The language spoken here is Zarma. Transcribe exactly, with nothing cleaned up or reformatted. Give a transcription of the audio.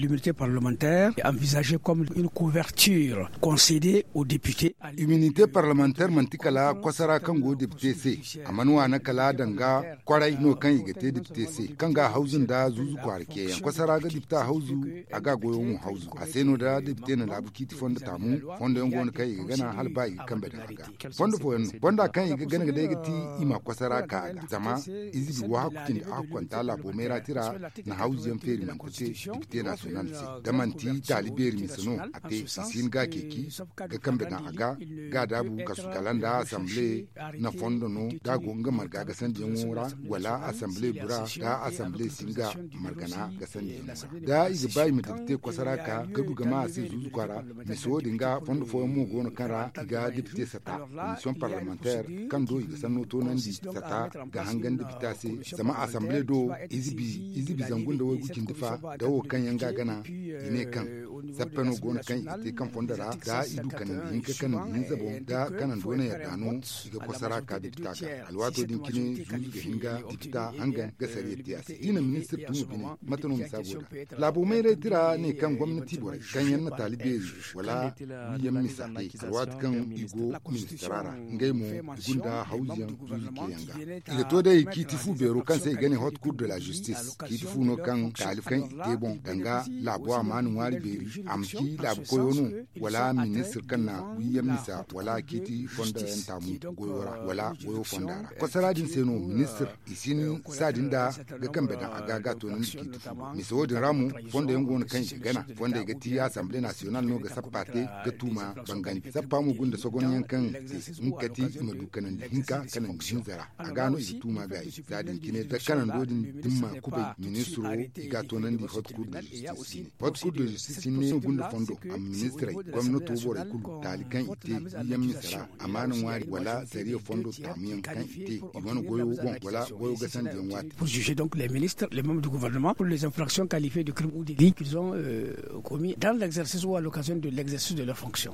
L'immunité parlementaire est envisagée comme une couverture concédée aux députés. Immunité parlementaire manti kala kwasara kaŋ go depite se. A mana waana kala danga kwaray no kaŋ i ga te depite se, kaŋ ga hawzu nda zuuzu kwaara ceeyaŋ kwasara ga depita hawzu. A ga goyo mo hawzu a se no da depite na laabu ciiti fondo taamu. Fondo yaŋ go no kaŋ i ga gana hala ba i ga kambe daŋ a ga. Fondo fooyaŋ no fonda kaŋ i ga gana ga day ga ti i ma kwasara ka a ga zama ize bi waahaku cindi a hukunta laabo meera tira na hawzu yaŋ feeri manti te. Depite naasiyonal se da manti taali beeri mise no a te i si hin ga a ceeci ga kambe daŋ a ga. Ga daabu kasu kala nda asamble na fondo no da a go nga marga gasandiyaŋo ra wala asamble bura da asamble si nga margana gasandiyaŋo ra da i ga ba i ma dira te kwasara ka ga du ga ma a se zuuzu kwaara. Mise wo- din ga fondo fooyaŋ mo go no kaŋ ra i ga depite sata komisiyoŋ parlemanteer kaŋ do i ga sanno toonandi sata ga hangan depita se. Zama asamble do ize bi zangu nda waygu cindi fa da wo kaŋ yaŋ ga a gana i ne kaŋ sappe no go no kaŋ i ga te kaŋ fondo ra da i du kanandi hinka kanandi hinza boŋ da kanando na yadda no i ga kwasara ka depita ga alwaato din cine zuuzu ga hin ga depita hangan ga sariya te a se da i na ministir tun ga bine. Mate no misa go da laabo mayray tira ne kaŋ gomnati borey kaŋ yaŋ na taali beeri wala wiiyaŋ misa te alwaati kaŋ i go ministira ra ngey mo i gunda hawzuyaŋ zuuzu ceeyaŋ ga. I ga to day ciiti fu beero kaŋ se i ga ne hot cour de la justice ciiti fu no kaŋ taali kaŋ i te boŋ danga laabo a ma ni ŋwaari beeri a ma ci laabu koyo no wala ministir kaŋ na wiiyaŋ misa wala ciiti fondo yaŋ taamu goyo ra wala goyo fonda ra kwasara din se no ministir i si ni saadi nda ga kambe daŋ a ga ga toonandi ciiti fu. Mise wo- din ra mo fondo yaŋ go no kaŋ i ga gana fondey ga ti asamble nasiyonal no ga sappa te ga tuuma bangandi sappa mo gunda sogonyaŋ kaŋ se nga ga ti i ma du kanandi hinka kanandi hinza ra a ga no i ga tuuma gaayi. Za din cine da kanando din dimma kubay ministiro i ga a toonandi hot cour de justice ne hot cour de justice ne gunda fondo a ma ministirey gomnato borey kulu taali kaŋ i te wiiyaŋ mise ra amaana ŋwaari wala sariya fondo taamuyaŋ kaŋ i te i wane goyo boŋ wala goyo gasandiyaŋ waati. Pour juger donc les ministres les membres du gouvernement pour les infractions qualifiées de crime ou délit qu'ils ont commis dans l'exercice ou à l'occasion de l'exercice de leur fonction.